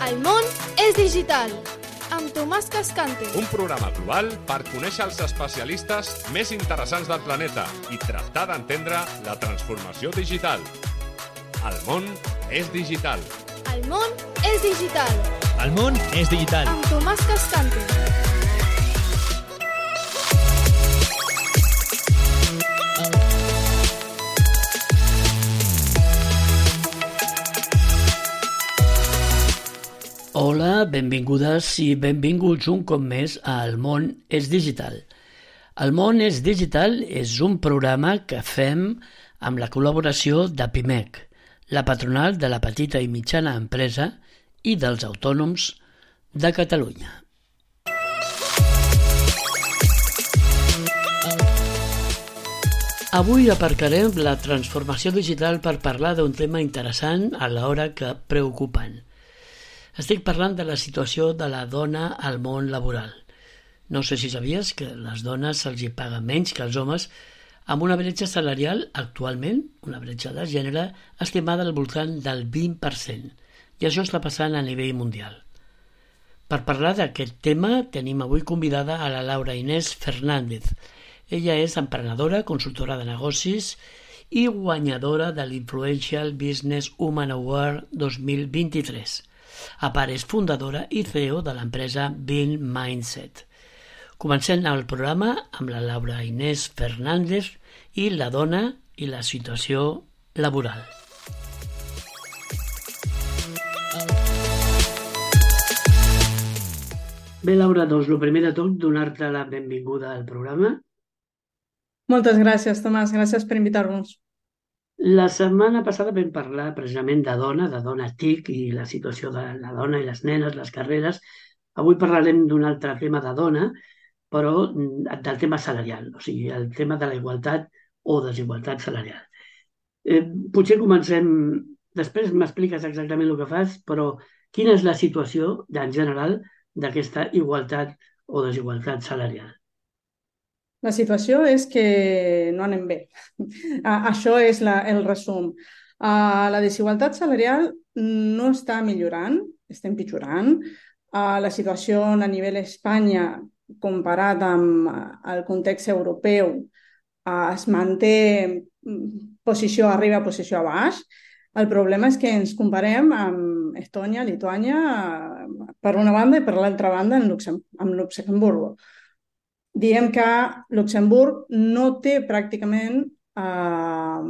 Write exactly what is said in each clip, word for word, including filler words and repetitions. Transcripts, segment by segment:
El món és digital, amb Tomàs Cascante. Un programa global per conèixer els especialistes més interessants del planeta i tractar d'entendre la transformació digital. El món és digital. El món és digital. El món és digital. Amb Tomàs Cascante. Hola, benvingudes i benvinguts un cop més a El món és digital. El món és digital és un programa que fem amb la col·laboració de Pimec, la patronal de la petita i mitjana empresa i dels autònoms de Catalunya. Avui aparcarem la transformació digital per parlar d'un tema interessant alhora que preocupant. Estic parlant de la situació de la dona al món laboral. No sé si sabies que a les dones se'ls hi paga menys que als homes, amb una bretxa salarial actualment, una bretxa de gènere, estimada al voltant del vint per cent. I això està passant a nivell mundial. Per parlar d'aquest tema tenim avui convidada a la Laura Inés Fernández. Ella és emprenedora, consultora de negocis i guanyadora de l'Influential Business Woman Award dos mil vint-i-tres. A part és fundadora i C E O de l'empresa Bean Mindset. Comencem el programa amb la Laura Inés Fernández i la dona i la situació laboral. Bé, Laura, doncs el primer de tot, donar-te la benvinguda al programa. Moltes gràcies, Tomàs. Gràcies per invitar-nos. La setmana passada vam parlar precisament de dona, de dona TIC i la situació de la dona i les nenes, les carreres. Avui parlarem d'un altre tema de dona, però del tema salarial, o sigui, el tema de la igualtat o desigualtat salarial. Eh, potser comencem, després m'expliques exactament el que fas, però quina és la situació en general d'aquesta igualtat o desigualtat salarial? La situació és que no anem bé. Això és la, el resum. Uh, la desigualtat salarial no està millorant, està empitjorant. Uh, la situació a nivell Espanya, comparat amb el context europeu, uh, es manté posició arriba, posició a baix. El problema és que ens comparem amb Estònia, Lituània, uh, per una banda, i per l'altra banda amb, Luxem amb Luxemburgo. Diem que Luxemburg no té pràcticament eh,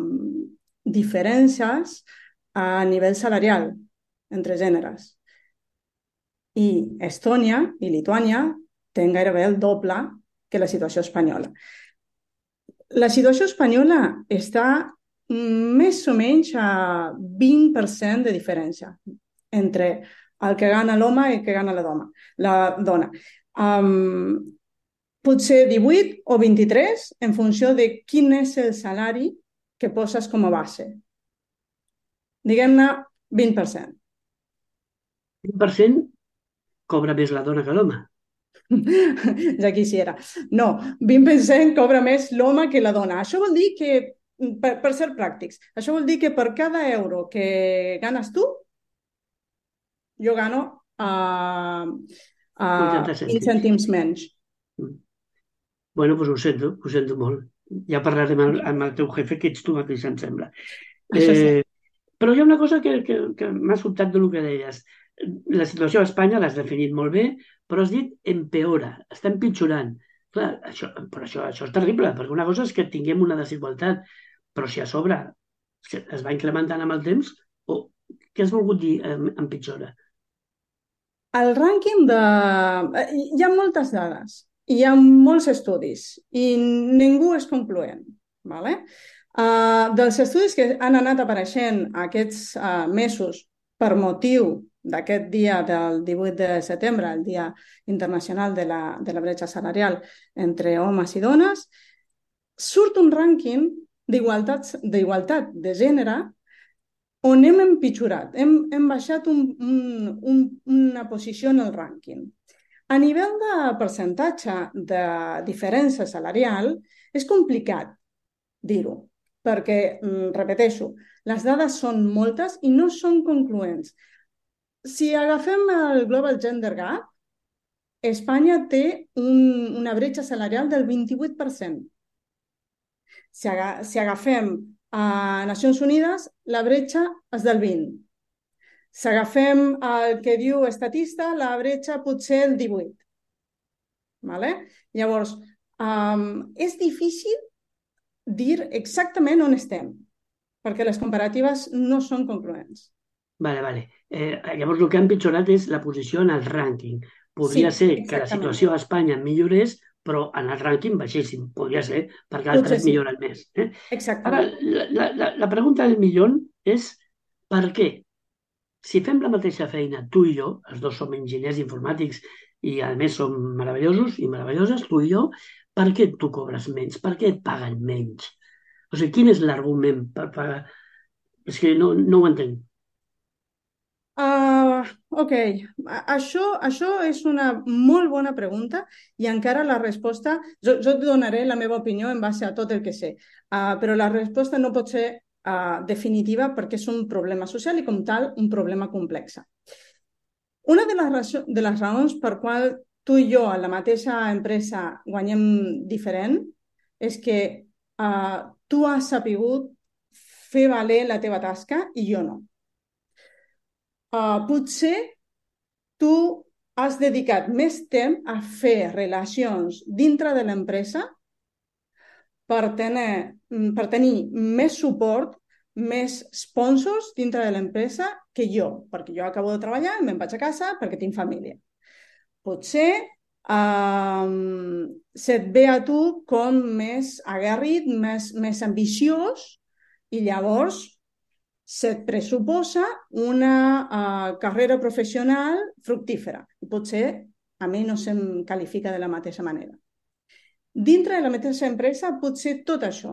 diferències a nivell salarial entre gèneres. I Estònia i Lituània tenen gairebé el doble que la situació espanyola. La situació espanyola està més o menys a vint per cent de diferència entre el que gana l'home i el que gana la dona. La dona. Um, Potser divuit o vint-i-tres en funció de quin és el salari que poses com a base. Diguem-ne vint per cent. vint per cent cobra més la dona que l'home. Ja quisiera. No, vint per cent cobra més l'home que la dona. Això vol dir que, per, per ser pràctics, això vol dir que per cada euro que ganes tu, jo gano uh, uh, vint cèntims menys. Bueno, doncs ho sento, ho sento molt. Ja parlarem amb, amb el teu jefe, que ets tu mateix, em sembla. Això sí. Eh, però hi ha una cosa que, que, que m'ha sobtat del que deies. La situació a Espanya l'has definit molt bé, però has dit empeora, està empitjorant. Clar, això, però això, això és terrible, perquè una cosa és que tinguem una desigualtat, però si a sobre es va incrementant amb el temps, o què has volgut dir empitjora? El rànquing de... Hi ha moltes dades. Hi ha molts estudis i ningú és concloent. Vale? Uh, dels estudis que han anat apareixent aquests uh, mesos per motiu d'aquest dia del divuit de setembre, el Dia Internacional de la, de la Bretxa Salarial entre homes i dones, surt un rànquing d'igualtat de gènere on hem empitjorat, hem, hem baixat un, un, un, una posició en el rànquing. A nivell de percentatge de diferència salarial, és complicat dir-ho, perquè, repeteixo, Les dades són moltes i no són concloents. Si agafem el Global Gender Gap, Espanya té un, una bretxa salarial del vint-i-vuit per cent. Si, aga, si agafem a Nacions Unides, la bretxa és del vint per cent. Si agafem el que diu Estatista, la bretxa potser el divuit. Vale? Llavors, um, és difícil dir exactament on estem, perquè les comparatives no són concloents. Vale, vale. Eh, llavors el que ha empitjorat és la posició en el rànquing. Podria Sí, ser que la exactament. situació a Espanya millorés, però en el rànquing baixéssim. Podria ser, perquè Potser altres sí. milloren més. Eh? Ara, Exactament. la, la, la pregunta del milió és per què? Si fem la mateixa feina, tu i jo, els dos som enginyers informàtics i a més som meravellosos i meravelloses, tu i jo, per què tu cobres menys? Per què et paguen menys? O sigui, quin és l'argument per pagar? És que no, no ho entenc. Uh, ok, A- això, això és una molt bona pregunta i encara la resposta, jo, jo et donaré la meva opinió en base a tot el que sé, uh, però la resposta no pot ser uh, definitiva perquè és un problema social i com tal un problema complex. Una de les, raó- de les raons per qual tu i jo a la mateixa empresa guanyem diferent és que uh, tu has sapigut fer valer la teva tasca i jo no. Uh, potser tu has dedicat més temps a fer relacions dintre de l'empresa per tenir, per tenir més suport, més sponsors dintre de l'empresa que jo, perquè jo acabo de treballar i me'n vaig a casa perquè tinc família. Potser um, se't ve a tu com més aguerrit, més, més ambiciós i llavors se't pressuposa una uh, carrera professional fructífera. I potser a mi no se'm qualifica de la mateixa manera. Dintre de la mateixa empresa pot ser tot això.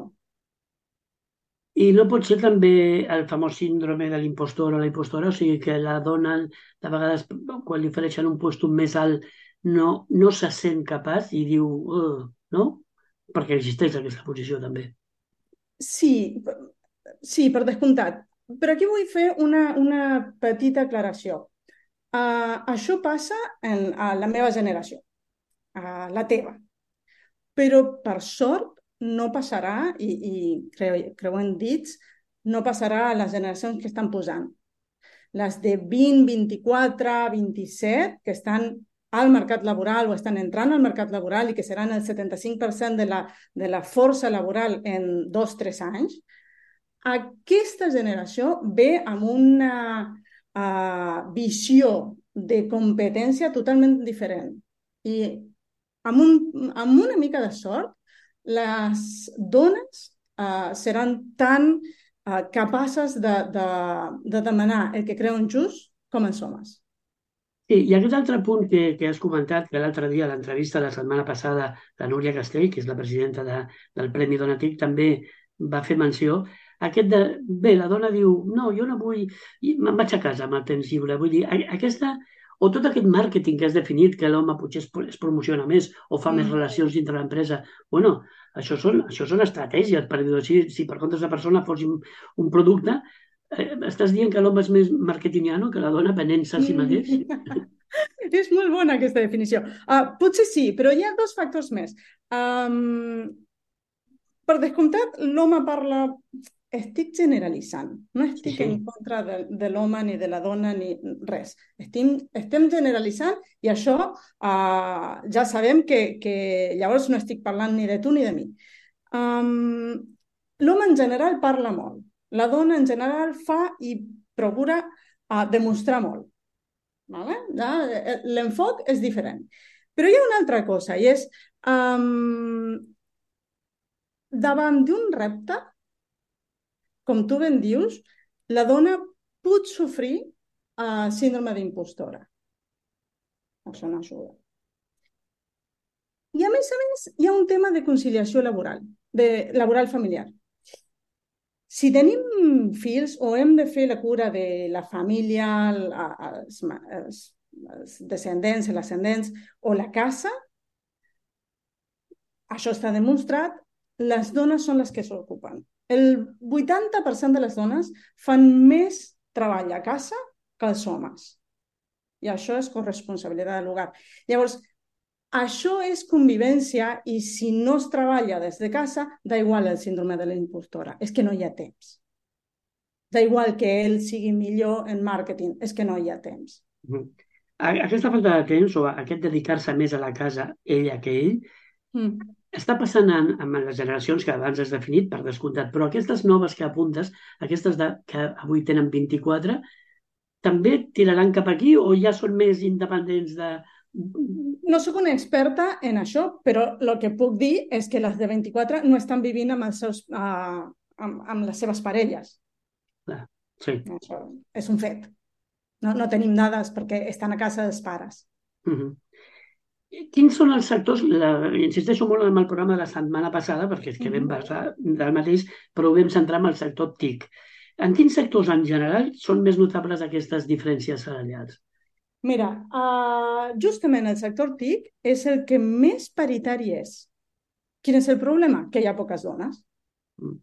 I no pot ser també el famós síndrome de l'impostor o la impostora, o sigui que la dona, de vegades, quan li ofereixen un lloc més alt, no, no se sent capaç i diu, uh, no? Perquè existeix aquesta posició també. Sí, sí, per descomptat. Però aquí vull fer una, una petita aclaració. Uh, això passa en, a la meva generació, a la teva. Però, per sort, no passarà, i, i creu, creuen dits, no passarà a les generacions que estan posant. Les de vint, vint-i-quatre, vint-i-set, que estan al mercat laboral o estan entrant al mercat laboral i que seran el setanta-cinc per cent de la, de la força laboral en dos o tres anys, aquesta generació ve amb una uh, visió de competència totalment diferent. I amb, un, amb una mica de sort, les dones uh, seran tan uh, capaces de, de, de demanar el que creuen just com els homes. Sí, i aquest altre punt que, que has comentat, que l'altre dia a l'entrevista la setmana passada la Núria Castell, que és la presidenta de, del Premi Donatic, també va fer menció, aquest de, bé, la dona diu, no, jo no vull, me'n vaig a casa amb el temps lliure, vull dir, aquesta, o tot aquest màrqueting que has definit, que l'home potser es, es promociona més o fa mm. més relacions dintre l'empresa, bueno, això són, això són estratègies, per dir-ho així, si per compte la persona fos un, un producte, eh, estàs dient que l'home és més marketingiano que la dona venent-se a si mateix? És molt bona aquesta definició. Uh, potser sí, però hi ha dos factors més. Um, per descomptat, l'home parla... Estic generalitzant. No estic sí, sí. en contra de, de l'home ni de la dona ni res. Estim, estem generalitzant i això uh, ja sabem que, que llavors no estic parlant ni de tu ni de mi. Um, l'home en general parla molt. La dona en general fa i procura uh, demostrar molt. Vale? L'enfoc és diferent. Però hi ha una altra cosa i és um, davant d'un repte, com tu ben dius, la dona pot sofrir uh, síndrome d'impostora. Això no ajuda. I a més a més hi ha un tema de conciliació laboral, de laboral familiar. Si tenim fills o hem de fer la cura de la família, els, els, els descendents, els ascendents o la casa, això està demostrat, les dones són les que s'ocupen. El vuitanta per cent de les dones fan més treball a casa que els homes. I això és corresponsabilitat de l'hogar. Llavors, això és convivència i si no es treballa des de casa, da igual el síndrome de la impostora. És que no hi ha temps. Da igual que ell sigui millor en màrqueting, és que no hi ha temps. Mhm. A- Aquesta falta de temps o aquest dedicar-se més a la casa, ella que ell, Mm. està passant en, en les generacions que abans has definit, per descomptat, però aquestes noves que apuntes, aquestes de, que avui tenen vint-i-quatre, també tiraran cap aquí o ja són més independents de... No sóc una experta en això, però el que puc dir és que les de vint-i-quatre no estan vivint amb, els seus, uh, amb, amb les seves parelles. Clar, sí. Això és un fet. No, no tenim dades perquè estan a casa dels pares. Mhm. Quins són els sectors, la, insisteixo molt en el programa de la setmana passada, perquè és que vam Mhm. passar del mateix, però ho vam centrar en el sector T I C. En quins sectors en general són més notables aquestes diferències salarials? Mira, uh, justament el sector T I C és el que més paritari és. Quin és el problema? Que hi ha poques dones. Mm.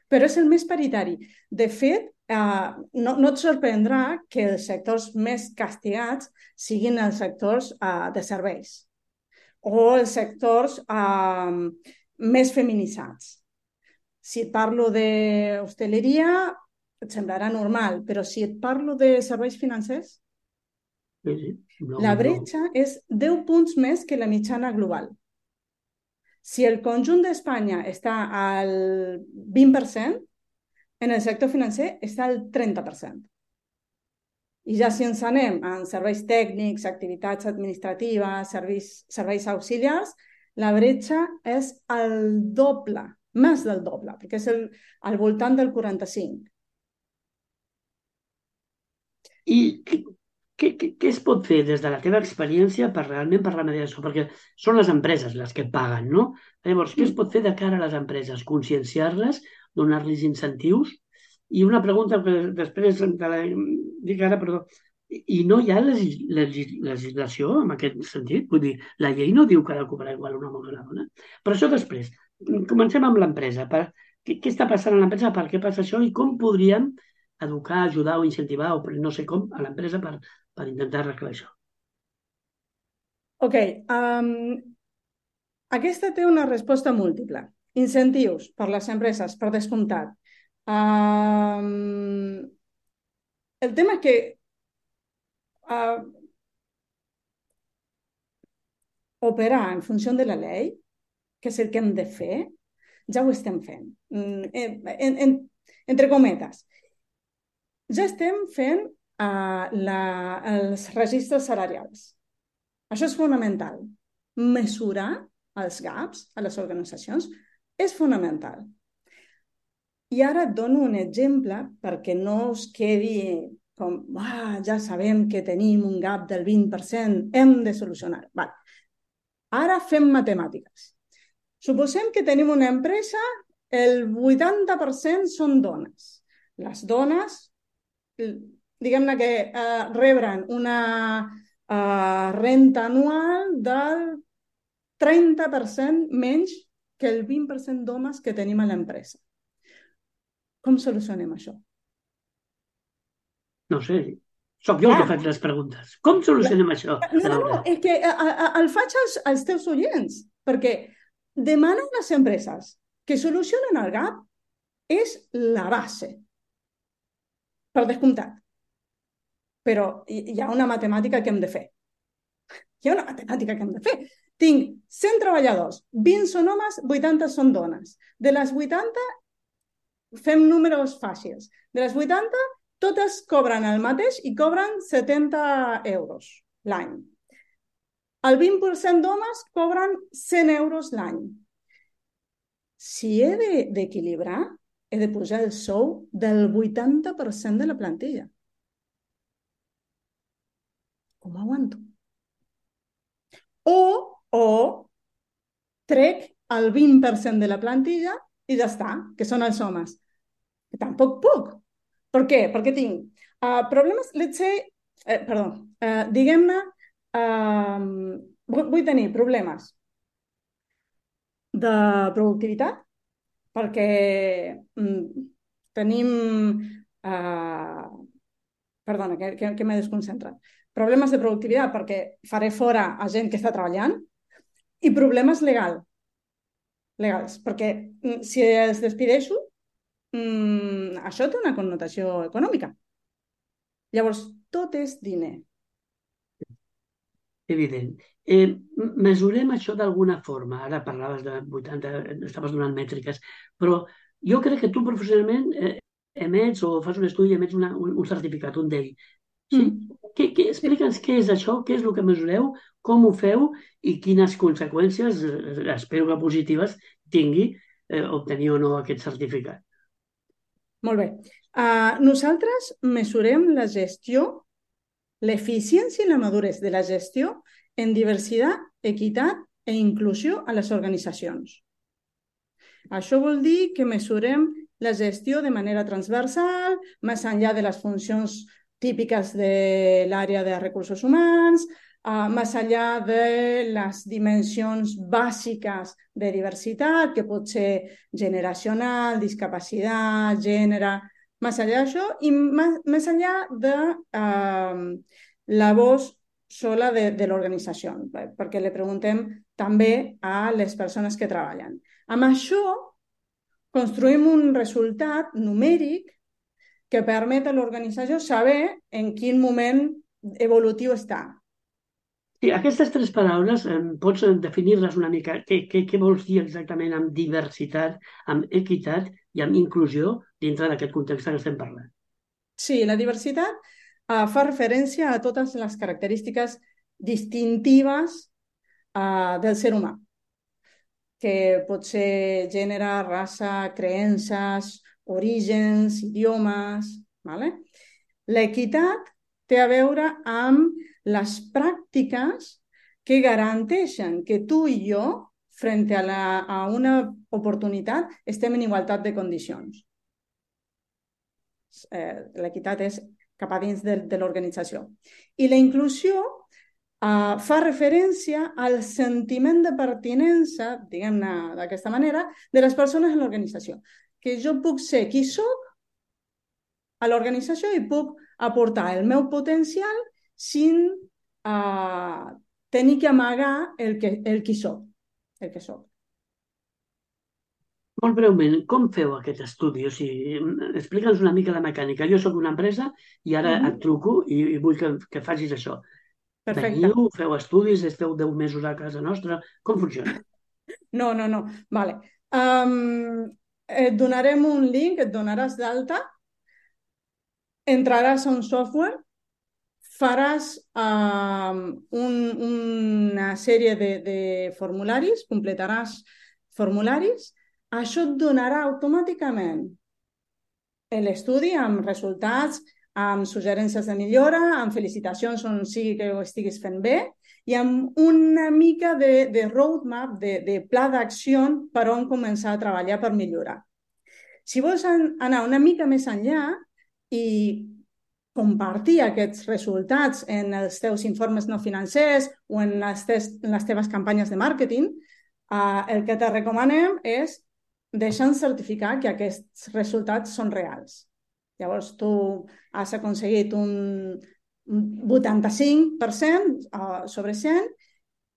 Però és el més paritari. De fet, uh, no, no et sorprendrà que els sectors més castigats siguin els sectors uh, de serveis o els sectors uh, més feminitzats. Si et parlo d'hostaleria, et semblarà normal, però si et parlo de serveis financers, Sí, sí. No, la no. bretxa és deu punts més que la mitjana global. Si el conjunt d'Espanya està al vint per cent, en el sector financer està al trenta per cent. I ja si ens anem en serveis tècnics, activitats administratives, serveis, serveis auxiliars, la bretxa és el doble, més del doble, perquè és el, al voltant del quaranta-cinc. I què, què, què, què es pot fer des de la teva experiència per realment per remediar això? Perquè són les empreses les que paguen, no? Llavors, què es pot fer de cara a les empreses? Conscienciar-les, donar-los incentius? I una pregunta que després te la dic ara, perdó. I no hi ha legis, legis, legislació en aquest sentit? Vull dir, la llei no diu que ha de cobrar igual un home que una dona. Però això després. Comencem amb l'empresa. Per, què, què està passant a l'empresa? Per què passa això? I com podríem educar, ajudar o incentivar, o no sé com, a l'empresa per, per intentar arreglar això? Ok. Um, aquesta té una resposta múltiple. Incentius per les empreses, per descomptat. Um, el tema és que uh, operar en funció de la llei, que és el que hem de fer, ja ho estem fent. En, en, en, entre cometes. Ja estem fent uh, la, els registres salarials. Això és fonamental. Mesurar els gaps a les organitzacions és fonamental. I ara et dono un exemple perquè no us quedi com, ah, ja sabem que tenim un gap del vint per cent, hem de solucionar. Vale. Ara fem matemàtiques. Suposem que tenim una empresa, el vuitanta per cent són dones. Les dones, diguem-ne que eh, rebren una eh, renta anual del trenta per cent menys que el vint per cent d'homes que tenim a l'empresa. Com solucionem això? No sé, sóc jo el que faig les preguntes. Com solucionem la... això? No, no, és que a, a, el faig als, als teus oients, perquè demanar a les empreses que solucionen el gap és la base, per descomptat. Però hi ha una matemàtica que hem de fer. Hi ha una matemàtica que hem de fer. Tinc cent treballadors, vint són homes, vuitanta són dones. De les vuitanta, fem números fàcils. De les vuitanta, totes cobren el mateix i cobren setanta euros l'any. El vint per cent d'homes cobren cent euros l'any. Si he d'equilibrar, he de posar el sou del vuitanta per cent de la plantilla. Com aguanto? O, o trec el vint per cent de la plantilla i ja està, que són els homes. Que tampoc puc. Per què? Perquè tinc uh, problemes, let's say, eh, perdó, uh, diguem-ne, uh, vull tenir problemes de productivitat, perquè mm, tenim... Uh, perdona, que, que, que m'he desconcentrat. Problemes de productivitat perquè faré fora a gent que està treballant i problemes legal, legals, perquè mm, si els despideixo, mm, això té una connotació econòmica. Llavors, tot és diner. Evident. Eh, mesurem això d'alguna forma. Ara parlaves de vuitanta, estaves donant mètriques, però jo crec que tu professionalment eh, emets o fas un estudi i emets una, un, un certificat, un D E I. Sí? Mm. Que, que, explica'ns què és això, què és el que mesureu, com ho feu i quines conseqüències, eh, espero que positives, tingui eh, obtenir o no aquest certificat. Molt bé. Uh, nosaltres mesurem la gestió, l'eficiència i la maduresa de la gestió en diversitat, equitat i inclusió a les organitzacions. Això vol dir que mesurem la gestió de manera transversal, més enllà de les funcions típiques de l'àrea de recursos humans, uh, més enllà de les dimensions bàsiques de diversitat, que pot ser generacional, discapacitat, gènere, més enllà d'això, i més, més enllà de uh, la voz sola de, de l'organització, perquè li preguntem també a les persones que treballen. Amb això construïm un resultat numèric que permet a l'organització saber en quin moment evolutiu està. Sí, aquestes tres paraules, eh, pots definir-les una mica? Què, què, què vols dir exactament amb diversitat, amb equitat i amb inclusió dintre d'aquest context que estem parlant? Sí, la diversitat uh, fa referència a totes les característiques distintives uh, del ser humà, que pot ser gènere, raça, creences, orígens, idiomes... Vale? L'equitat té a veure amb les pràctiques que garanteixen que tu i jo, frente a, la, a una oportunitat, estem en igualtat de condicions. Eh, l'equitat és cap a dins de, de l'organització. I la inclusió Uh, fa referència al sentiment de pertinença, diguem-ne d'aquesta manera, de les persones en l'organització. Que jo puc ser qui soc a l'organització i puc aportar el meu potencial sin uh, tenir que amagar el, que, el qui soc. El que soc. Molt breument, com feu aquest estudi? O sigui, explica'ns una mica la mecànica. Jo sóc una empresa i ara mm-hmm. et truco i, i vull que, que facis això. Perfecte. Veniu, feu estudis, esteu deu mesos a casa nostra. Com funciona? No, no, no. Vale. Um, et donarem un link, et donaràs d'alta, entraràs a un software, faràs um, un, una sèrie de, de formularis, completaràs formularis, això et donarà automàticament l'estudi amb resultats, amb suggerències de millora, amb felicitacions on sigui que ho estiguis fent bé i amb una mica de, de roadmap, de, de pla d'acció per on començar a treballar per millorar. Si vols anar una mica més enllà i compartir aquests resultats en els teus informes no financers o en les, tes, en les teves campanyes de màrqueting, eh, el que te recomanem és deixar certificar que aquests resultats són reals. Llavors, tu has aconseguit un vuitanta-cinc per cent sobre cent.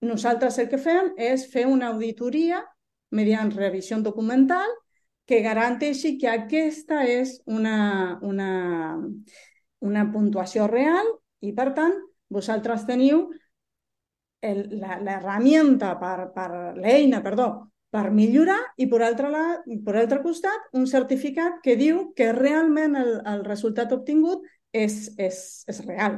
Nosaltres el que fem és fer una auditoria mediante revisió documental que garanteixi que aquesta és una, una, una puntuació real i, per tant, vosaltres teniu l'herramienta per, per l'eina, perdó, per millorar i, per altre, la, per altre costat, un certificat que diu que realment el, el resultat obtingut és, és, és real.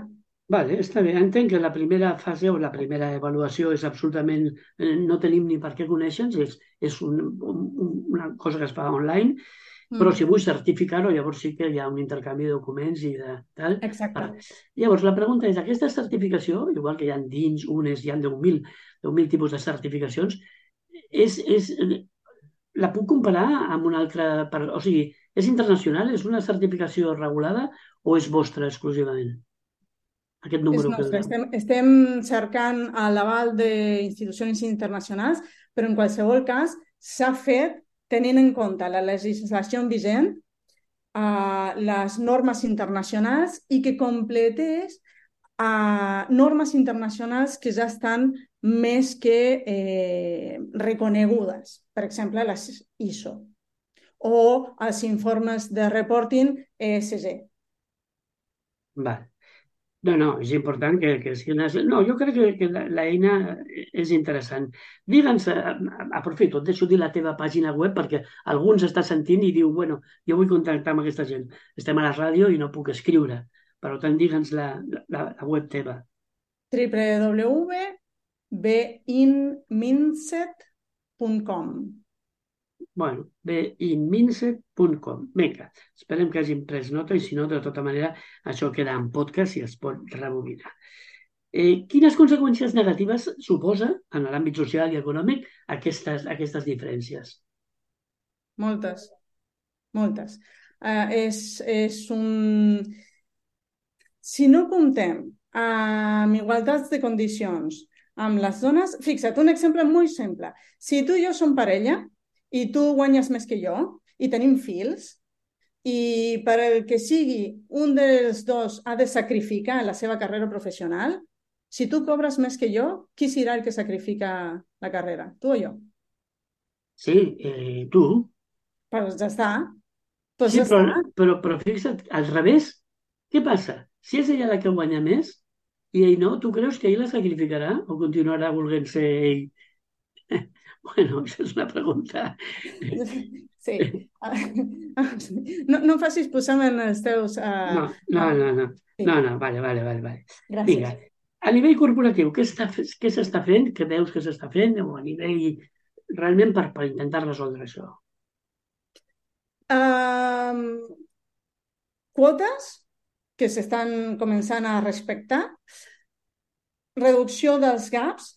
Vale, està bé. Entenc que la primera fase o la primera avaluació és absolutament... Eh, no tenim ni per què conèixer-nos, és, és un, un, una cosa que es fa online, mm. però si vull certificar-ho, llavors sí que hi ha un intercanvi de documents i de tal. Exacte. Ara, llavors, la pregunta és, aquesta certificació, igual que hi ha dins unes, hi ha deu mil tipus de certificacions, És, és, la puc comparar amb una altra... O sigui, és internacional? És una certificació regulada o és vostra exclusivament? Aquest número és nostre. Que... Estem, estem cercant l'aval d'institucions internacionals, però en qualsevol cas s'ha fet tenint en compte la legislació vigent, uh, les normes internacionals i que completés uh, normes internacionals que ja estan més que eh, reconegudes. Per exemple, les I S O o els informes de reporting E S G. Vale. No, no, és important que, que sigui una... No, jo crec que, que l'eina és interessant. Digue'ns, aprofito, et deixo dir la teva pàgina web perquè algú ens està sentint i diu, bueno, jo vull contactar amb aquesta gent. Estem a la ràdio i no puc escriure. Per tant, digue'ns la, la, la web teva. w w w punt be in minset punt com. Bueno, be in minset punt com. Vinga, esperem que hagin pres nota i si no, de tota manera, això queda en podcast i es pot rebobinar. Eh, quines conseqüències negatives suposa en l'àmbit social i econòmic aquestes, aquestes diferències? Moltes, moltes. Uh, és, és un... Si no comptem amb igualtats de condicions amb les dones, fixa't, un exemple molt simple. Si tu i jo som parella i tu guanyes més que jo i tenim fills i per el que sigui un dels dos ha de sacrificar la seva carrera professional, si tu cobres més que jo, qui serà el que sacrifica la carrera? Tu o jo? Sí, eh, tu. Però ja està. Pues sí, ja però, està. Però, però fixa't, al revés, què passa? Si és ella la que guanya més i ell no, tu creus que ell la sacrificarà o continuarà volent ser ell? Bueno, això és una pregunta. Sí. No, no em facis posar-me en els teus... Uh... No, no, no, no. Sí. No, no, vale, vale, vale. vale. Gràcies. Vinga, a nivell corporatiu, què s'està fent? Què veus que s'està fent? O a nivell realment per, per intentar resoldre això? Um, quotes que s'estan començant a respectar, reducció dels gaps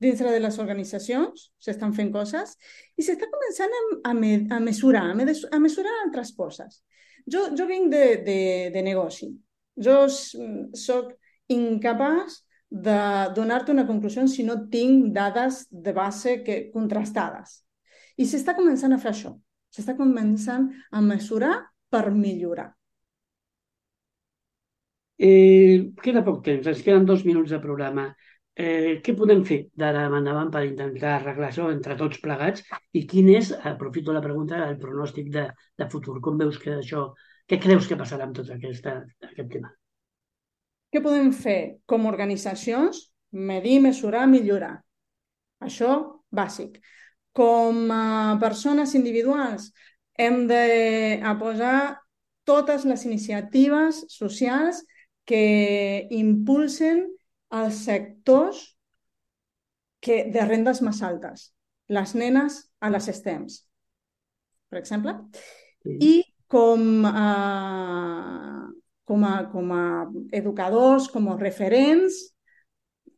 dintre de les organitzacions, s'estan fent coses, i s'està començant a, a, me, a mesurar, a, me, a mesurar altres coses. Jo, jo vinc de, de, de negoci. Jo soc incapaç de donar-te una conclusió si no tinc dades de base que, contrastades. I s'està començant a fer això. S'està començant a mesurar per millorar. Eh, queda poc temps, ens queden dos minuts de programa. Eh, què podem fer d'ara endavant per intentar arreglar això entre tots plegats i quin és, aprofito la pregunta, el pronòstic de, de futur? Com veus que això, què creus que passarà amb tot aquesta, aquest tema? Què podem fer com a organitzacions? Medir, mesurar, millorar. Això, bàsic. Com a persones individuals, hem de posar totes les iniciatives socials que impulsen els sectors que, de rendes més altes, les nenes a les STEMs, per exemple, sí. I com a, com, a, com a educadors, com a referents,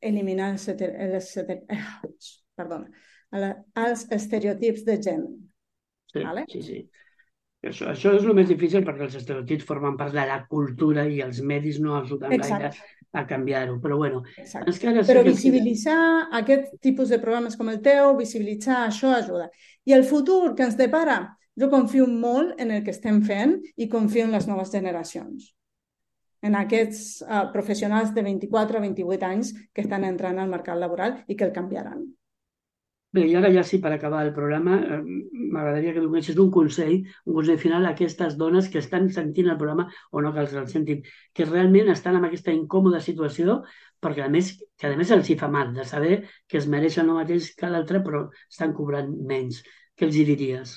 eliminar els, els, els, perdona, els estereotips de gènere. Sí, vale? sí, sí. Això, això és el més difícil perquè els estereotips formen part de la cultura i els medis no ajuden gaire a canviar-ho, però bueno. Però visibilitzar que... aquest tipus de programes com el teu, visibilitzar això ajuda. I el futur que ens depara, jo confio molt en el que estem fent i confio en les noves generacions, en aquests uh, professionals de vint-i-quatre a vint-i-vuit anys que estan entrant al mercat laboral i que el canviaran. Bé, i ara ja sí, per acabar el programa, eh, m'agradaria que donessis un consell, un consell final a aquestes dones que estan sentint el programa o no que els el sentin, que realment estan en aquesta incòmoda situació perquè a més, que a més els hi fa mal de saber que es mereixen el mateix que l'altre però estan cobrant menys. Què els hi diries?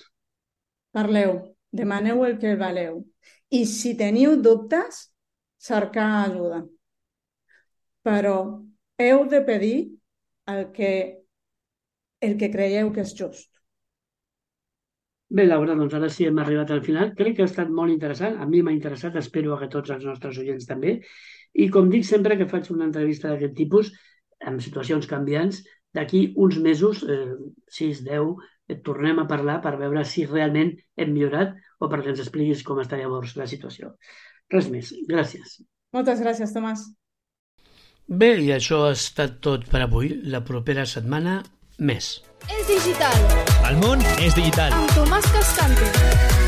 Parleu, demaneu el que valeu. I si teniu dubtes, cercar ajuda. Però heu de pedir el que el que creieu que és just. Bé, Laura, doncs ara sí hem arribat al final. Crec que ha estat molt interessant. A mi m'ha interessat, espero que tots els nostres oients també. I com dic sempre que faig una entrevista d'aquest tipus, amb situacions canviants, d'aquí uns mesos, eh, sis, deu, et tornem a parlar per veure si realment hem millorat o perquè ens expliquis com està llavors la situació. Res més. Gràcies. Moltes gràcies, Tomàs. Bé, i això ha estat tot per avui. La propera setmana més. És digital. El món és digital. Amb Tomàs Cascante.